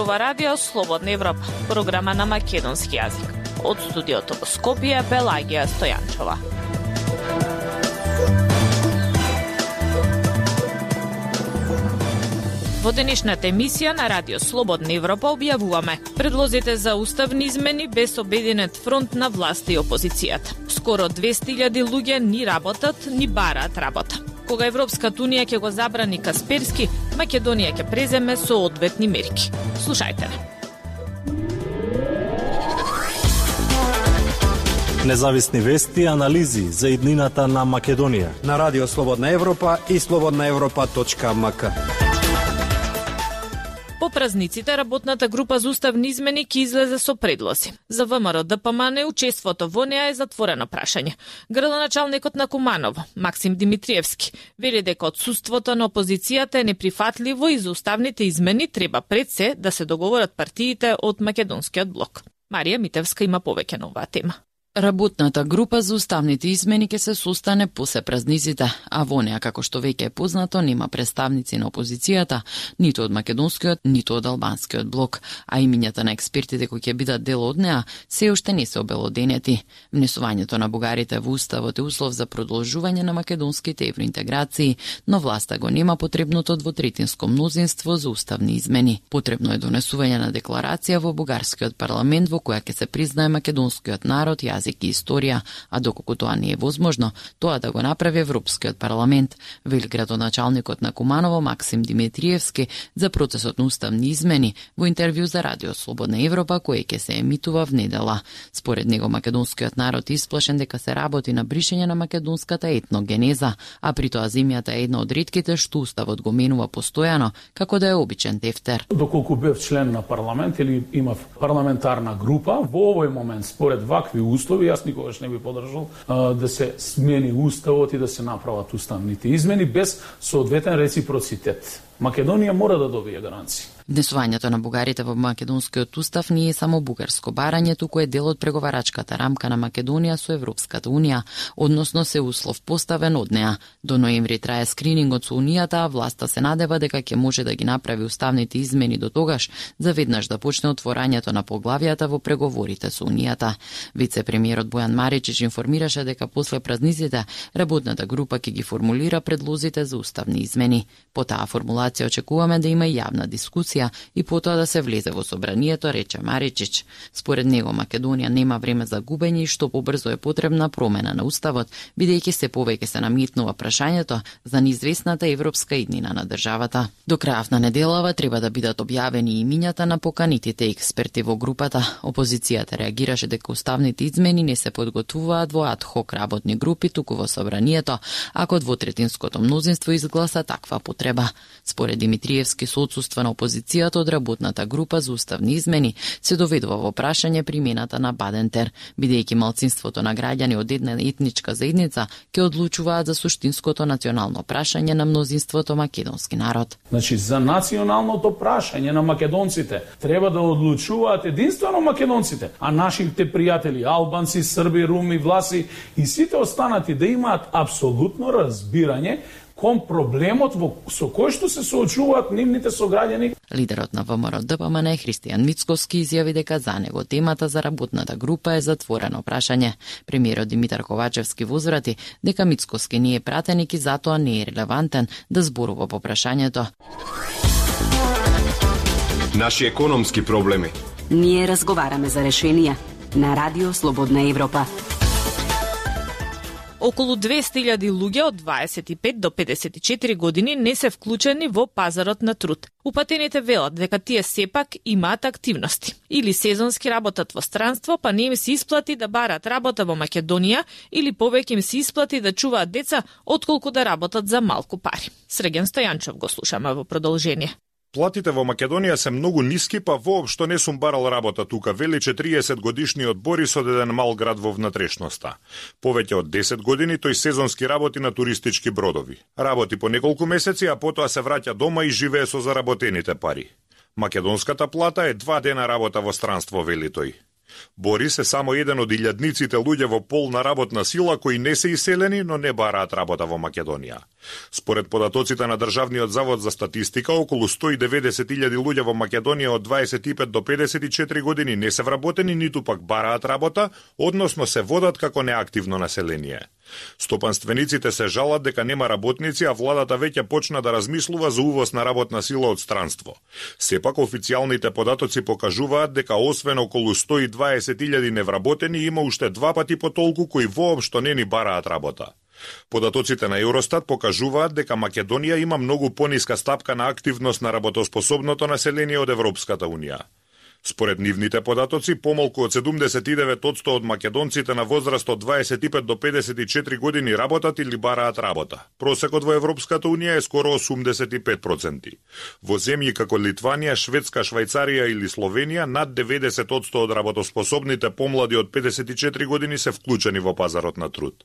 зборува Радио Слободна Европа, програма на македонски јазик. Од студиото во Скопје, Пелагија Стојанчова. Во денешната емисија на Радио Слободна Европа објавуваме предлозите за уставни измени без обединет фронт на власта и опозицијата. Скоро 200.000 луѓе ни работат, ни бараат работа. Кога Европската унија ќе го забрани Касперски, Македонија ќе преземе соодветни мерки. Слушајте не. Независни вести и анализи за иднината на Македонија на Радио Слободна Европа и slobodnaevropa.mk. По празниците, работната група за уставни измени ќе излезе со предлози. За ВМРО ДПМН учеството во неа е затворено прашање. Градоначалникот на Куманово, Максим Димитриевски, вели дека отсуството на опозицијата е неприфатливо и за уставните измени треба пред се да се договорат партиите од Македонскиот блок. Марија Митевска има повеќе на оваа тема. Работната група за уставните измени ќе се состане после празниците, а во неа, како што веќе е познато, нема представници на опозицијата, ниту од македонскиот, ниту од албанскиот блок, а имињата на експертите кои ќе бидат дел од неа се уште не се обелоденети. Внесувањето на бугарите во уставот е услов за продолжување на македонските евроинтеграции, но власта го нема потребното двотретинско мнозинство за уставни измени. Потребно е донесување на декларација во бугарскиот парламент во која ќе се признае македонскиот народ, јазик и историја, а доколку тоа не е возможно, тоа да го направи Европскиот парламент, вели градоначалникот на Куманово Максим Димитриевски за процесот на уставни измени во интервју за Радио Слободна Европа кој ќе се емитува внедела. Според него македонскиот народ е исплашен дека се работи на бришење на македонската етногенеза, а при тоа земјата е една од ретките што уставот го менува постојано како да е обичен тефтер. Доколку бев член на парламент или имав парламентарна група, во овој момент според вакви устови јас никогаш не би подржал да се смени уставот и да се направат уставните измени без соодветен реципроцитет. Македонија мора да добие гаранции. Внесувањето на бугарите во македонскиот устав не е само бугарско барање, туку е дел од преговарачката рамка на Македонија со Европската унија, односно се услов поставен од неа. До ноември трае скринингот со унијата, а власта се надева дека ќе може да ги направи уставните измени до тогаш, за веднаш да почне отворањето на поглавијата во преговорите со унијата. Вице-премиерот Бојан Маричич информираше дека после празниците работната група ќе ги формулира предлозите за уставни измени. По таа формулација очекуваме да има и јавна дискусија и потоа да се влезе во собранието, рече Маричич. Според него Македонија нема време за губење и што побрзо е потребна промена на уставот, бидејќи се повеќе се наметнува прашањето за неизвестната европска иднина на државата. До крајот на неделава треба да бидат објавени имињата на поканитите експерти во групата. Опозицијата реагираше дека уставните измени не се подготвуваат во ад-хок работни групи, туку во собранието, ако двотретинското мнозинство изгласа таква потреба. Според Димитриевски, со отсуство на опозицијата од работната група за уставни измени се доведува во прашање примената на Бадентер, бидејќи малцинството на граѓани од една етничка заедница ќе одлучуваат за суштинското национално прашање на мнозинството македонски народ. Значи, за националното прашање на македонците треба да одлучуваат единствено македонците, а нашите пријатели, албанци, срби, руми, власи и сите останати да имаат апсолутно разбирање кон проблемот со кој што се соочуваат нивните сограѓани. Лидерот на ВМРО ДПМН Христијан Мицкоски изјави дека за него темата за работната група е затворено прашање. Премиерот Димитар Ковачевски возврати дека Мицкоски не е пратеник и затоа не е релевантен да зборува по прашањето. Наши економски проблеми. Ние разговараме за решенија на Радио Слободна Европа. Околу 200.000 луѓе од 25 до 54 години не се вклучени во пазарот на труд. Упатените велат дека тие сепак имаат активности. Или сезонски работат во странство, па не им се исплати да барат работа во Македонија, или повеќе им се исплати да чуваат деца, отколку да работат за малку пари. Среген Стојанчов го слушаме во продолжение. Платите во Македонија се многу ниски, па воопшто не сум барал работа тука, вели 40 годишниот Борис од еден мал град во внатрешноста. Повеќе од 10 години тој сезонски работи на туристички бродови. Работи по неколку месеци, а потоа се враќа дома и живее со заработените пари. Македонската плата е 2 дена работа во странство, вели тој. Борис е само еден од илјадниците луѓе во полна работна сила кои не се иселени, но не бараат работа во Македонија. Според податоците на Државниот завод за статистика, околу 190.000 луѓе во Македонија од 25 до 54 години не се вработени, ниту пак бараат работа, односно се водат како неактивно население. Стопанствениците се жалат дека нема работници, а владата веќе почна да размислува за увоз на работна сила од странство. Сепак официјалните податоци покажуваат дека освен околу 120.000 невработени, има уште 2 пати потолку кои воопшто не ни бараат работа. Податоците на Евростат покажуваат дека Македонија има многу пониска стапка на активност на работоспособното население од Европската Унија. Според нивните податоци, помалку од 79% од македонците на возраст од 25 до 54 години работат или бараат работа. Просекот во Европската Унија е скоро 85%. Во земји како Литванија, Шведска, Швајцарија или Словенија, над 90% од работоспособните помлади од 54 години се вклучени во пазарот на труд.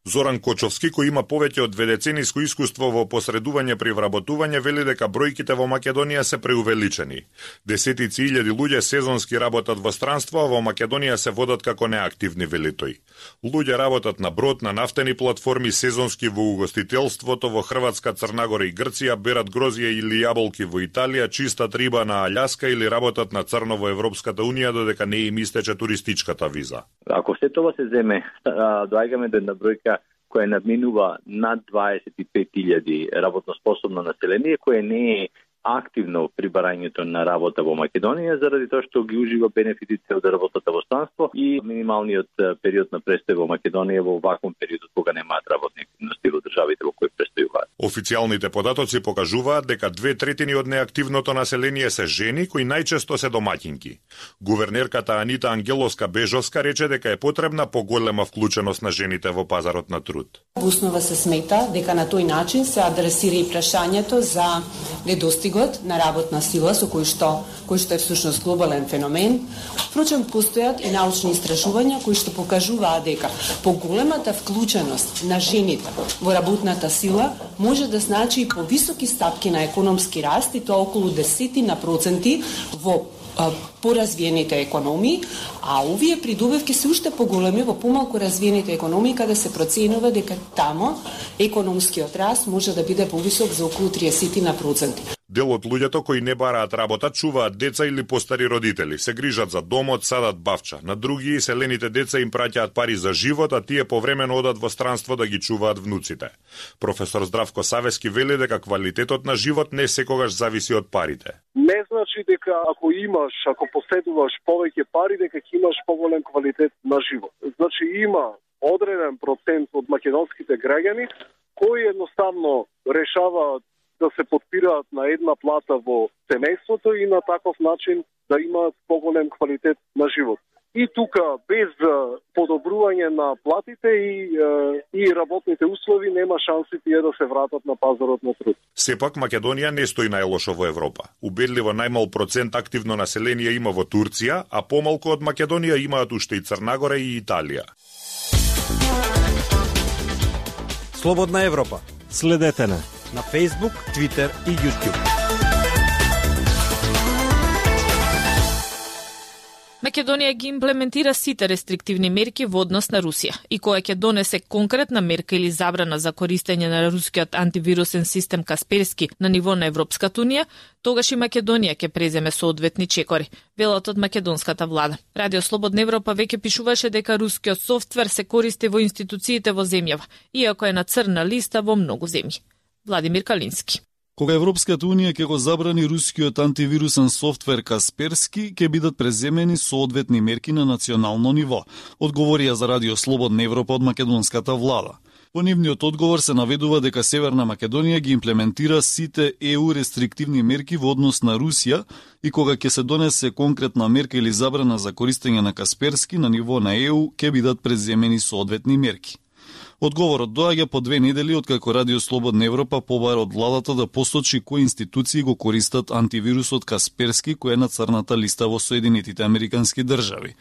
Зоран Кочовски, кој има повеќе од 2 децениско искуство во посредување при вработување, вели дека бројките во Македонија се преувеличени. Десетици илјади луѓе сезонски работат во странство, а во Македонија се водат како неактивни, вели тој. Луѓе работат на брод, на нафтени платформи, сезонски во угостителството во Хрватска, Црнагора и Грција, берат грозје или јаболки во Италија, чистат риба на Аљаска или работат на црно во Европската Унија додека не им истече туристичката виза. Ако се тоа се земе, доаѓаме до една бројка која надминува над 25.000 работно способно население, кое не е активно при барањето на работа во Македонија, заради тоа што ги ужива бенефитите од работата во странство и минималниот период на престој во Македонија во ваквом периодот кога немаат работни активности во државите во кои престојуваат. Официјалните податоци покажуваат дека 2/3 од неактивното население се жени кои најчесто се домаќинки. Гувернерката Анита Ангеловска-Бежовска рече дека е потребна поголема вклученост на жените во пазарот на труд. Во основа се смета дека на тој начин се адресира и прашањето за недостигот на работна сила со кој што е всушност глобален феномен. Впрочем, постојат и научни истражувања кои што покажуваат дека поголемата вклученост на жените во работната сила може да значи и повисоки стапки на економски раст, и тоа околу 10% во поразвиените економии, а овие придобивки се уште поголеми во помалку развиените економии, каде се проценува дека тамо економскиот раст може да биде повисок за околу 30%. Дел од луѓето кои не бараат работа чуваат деца или постари родители, се грижат за домот, садат бавча. На други иселените деца им праќаат пари за живот, а тие повремено одат во странство да ги чуваат внуците. Професор Здравко Савески вели дека квалитетот на живот не секогаш зависи од парите. Не значи дека ако поседуваш повеќе пари, дека ќе имаш поголем квалитет на живот. Значи има одреден процент од македонските граѓани кои едноставно решаваат да се подпираат на една плата во семејството и на таков начин да имаат поголем квалитет на живот. И тука, без подобрување на платите и работните услови, нема шанси тие да се вратат на пазарот на труд. Сепак, Македонија не стои најлошо во Европа. Убедливо најмал процент активно население има во Турција, а помалку од Македонија имаат уште и Црнагора и Италија. Слободна Европа. Следете на Facebook, Twitter и YouTube. Македонија ги имплементира сите рестриктивни мерки во однос на Русија и која ќе донесе конкретна мерка или забрана за користење на рускиот антивирусен систем Касперски на ниво на Европската Унија, тогаш и Македонија ќе преземе соодветни чекори, велат од македонската влада. Радио Слободна Европа веќе пишуваше дека рускиот софтвер се користи во институциите во земјава, иако е на црна листа во многу земји. Владимир Калински. Кога Европската Унија ќе го забрани рускиот антивирусен софтвер Касперски, ќе бидат преземени соодветни мерки на национално ниво, одговорија за Радио Слободна Европа од македонската влада. Во нивниот одговор се наведува дека Северна Македонија ги имплементира сите ЕУ рестриктивни мерки во однос на Русија и кога ќе се донесе конкретна мерка или забрана за користење на Касперски на ниво на ЕУ, ќе бидат преземени соодветни мерки. Одговорот доаѓа по 2 недели откако Радио Слободна Европа побара од владата да посочи кои институции го користат антивирусот Касперски, кој е на црната листа во Соединетите Американски држави.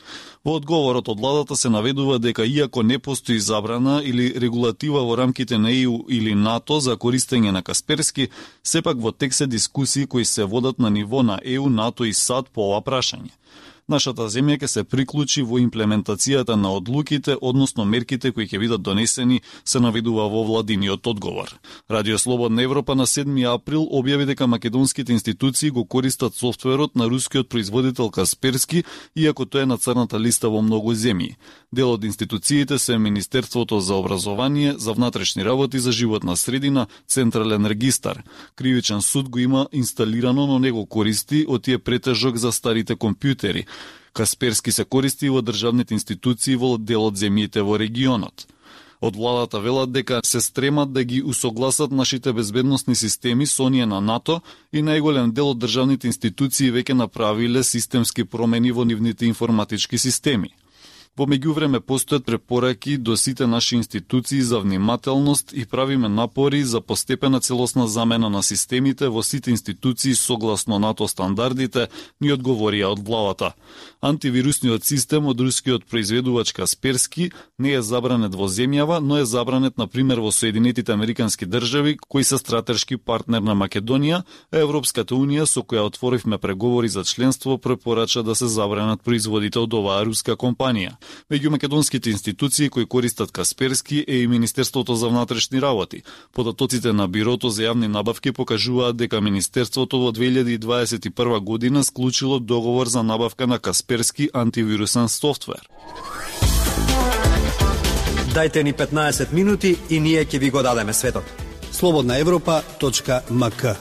Во одговорот од владата се наведува дека иако не постои забрана или регулатива во рамките на ЕУ или НАТО за користење на Касперски, сепак во тек се дискусии кои се водат на ниво на ЕУ, НАТО и САД по ова прашање. Нашата земја ќе се приклучи во имплементацијата на одлуките, односно мерките кои ќе бидат донесени, се наведува во владиниот одговор. Радио Слободна Европа на 7 април објави дека македонските институции го користат софтверот на рускиот производител Касперски, иако тој е на црната листа во многу земји. Дел од институциите се Министерството за образование, за внатрешни работи, за животна средина, Централен регистар. Кривичен суд го има инсталирано, но не го користи, од тие претежок за старите компјутери. Касперски се користи во државните институции во дел од земјите во регионот. Од владата велат дека се стремат да ги усогласат нашите безбедносни системи со оние на НАТО и најголем дел од државните институции веќе направиле системски промени во нивните информатички системи. Во меѓувреме постојат препораки до сите наши институции за внимателност и правиме напори за постепена целосна замена на системите во сите институции согласно НАТО стандардите, ни одговорија од владата. Антивирусниот систем од рускиот произведувач Касперски не е забранет во земјава, но е забранет на пример во Соединетите Американски држави, кои се стратешки партнер на Македонија, а Европската унија, со која отворивме преговори за членство, препорача да се забранат производите од оваа руска компанија. Меѓу македонските институции кои користат Касперски е и Министерството за внатрешни работи. Податоците на Бирото за јавни набавки покажуваат дека Министерството во 2021 година склучило договор за набавка на Касперски антивирусен софтвер. Дајте ни 15 минути и ние ќе ви го дадеме светот. slobodnaevropa.mk.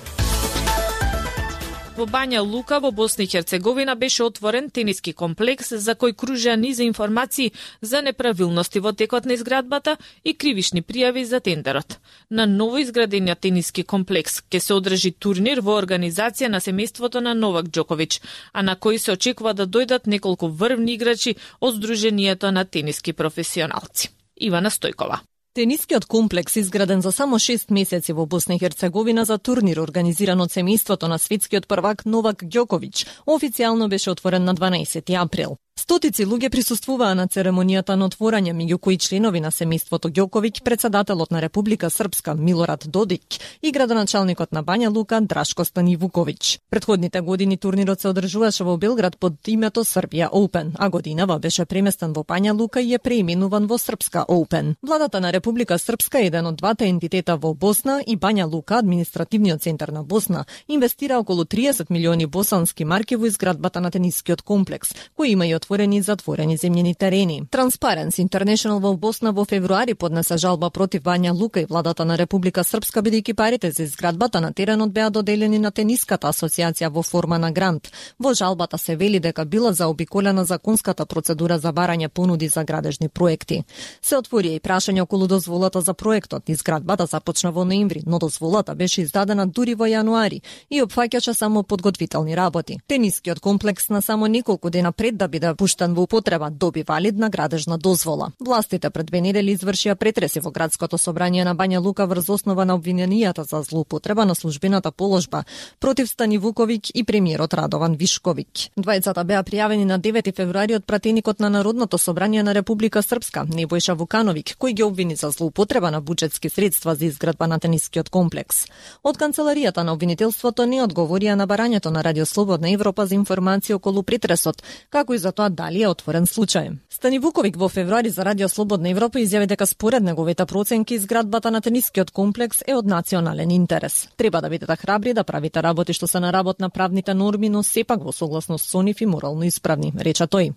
Во Бања Лука во Босна и Херцеговина беше отворен тениски комплекс за кој кружеа низ информации за неправилности во текот на изградбата и кривишни пријави за тендерот. На ново изградениот тениски комплекс ќе се одржи турнир во организација на семејството на Новак Џоковиќ, а на кој се очекува да дојдат неколку врвни играчи од Сдруженијето на тениски професионалци. Ивана Стојкова. Тенискиот комплекс, изграден за само 6 месеци во Босна и Херцеговина за турнир организиран од семејството на светскиот првак Новак Ѓоковиќ, официјално беше отворен на 12 април. Стотици луѓе присуствуваа на церемонијата на отворање, меѓу кои членови на семејството Ѓоковиќ, председателот на Република Српска Милорад Додик и градоначалникот на Бања Лука Драшко Станивуковиќ. Предходните години турнирот се одржуваше во Белград под името Србија Open, а годинава беше преместен во Бања Лука и е преименуван во Српска Open. Владата на Република Српска, еден од двата ентитета во Босна, и Бања Лука, административниот центар на Босна, инвестира околу 30 милиони босански марки во изградбата на тенискиот комплекс, кој има и отворени и затворени земјени терени. Transparency International во Босна во февруари поднесе жалба против Бања Лука и владата на Република Српска, бидејќи парите за изградбата на теренот беа доделени на тениската асоциација во форма на грант. Во жалбата се вели дека била заобиколена законската процедура за барање понуди за градежни проекти. Се отвори и прашање околу дозволата за проектот. Изградбата започна во ноември, но дозволата беше издадена дури во јануари и опфаќаше само подготвителни работи. Тенискиот комплекс на само неколку дена пред да биде пуштен во употреба доби валидна градежна дозвола. Властите пред 2 недели извршија претреси во градското собрание на Бања Лука врз основа на обвиненијата за злоупотреба на службената положба против Станивуковиќ и премиерот Радован Вишковиќ. Двајцата беа пријавени на 9 февруари од пратеникот на Народното собрание на Република Српска Небојша Вукановиќ, кој ги обвини за злоупотреба на буџетски средства за изградба на тенискиот комплекс. Од канцеларијата на обвинителството не одговорија на барањето на Радио Слободна Европа за информации околу притресот, како и за тоа дали е отворен случај. Станивуковиќ во февруари за Радио Слободна Европа изјави дека според неговите проценки изградбата на тенискиот комплекс е од национален интерес. Треба да бидете храбри да правите работи што се на работ на правните норми, но сепак во согласност со нив и морално исправни, рече тој.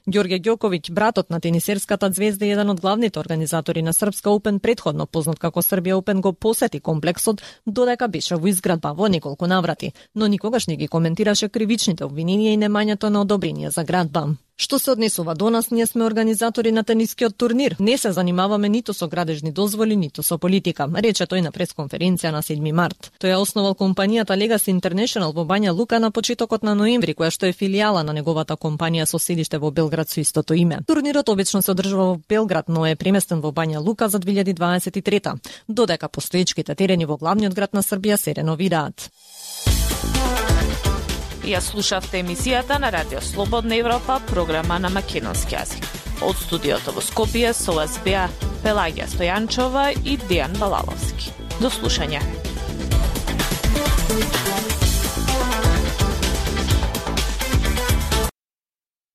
Ѓорѓе Ѓоковиќ, братот на тенисерската звезда и еден од главните организатори на Српска Open, предходно познат како Србија Open, го посети комплексот додека беше во изградба во неколку наврати, но никогаш не ги коментираше кривичните обвиненија и немањето на одобрение за градба. Што се однесува до нас, ние сме организатори на тенискиот турнир. Не се занимаваме ниту со градежни дозволи, ниту со политика, рече тој на пресконференција на 7 март. Тој ја основал компанијата Legacy International во Бања Лука на почетокот на ноември, која што е филијала на неговата компанија со седиште во Белград со истото име. Турнирот обично се одржува во Белград, но е преместен во Бања Лука за 2023, додека постоечките терени во главниот град на Србија се реновираат. Ја слушавте емисијата на Радио Слободна Европа, програма на македонски јазик. Од студиото во Скопје со вас беа Пелагија Стојанчова и Дејан Балаловски. До слушање.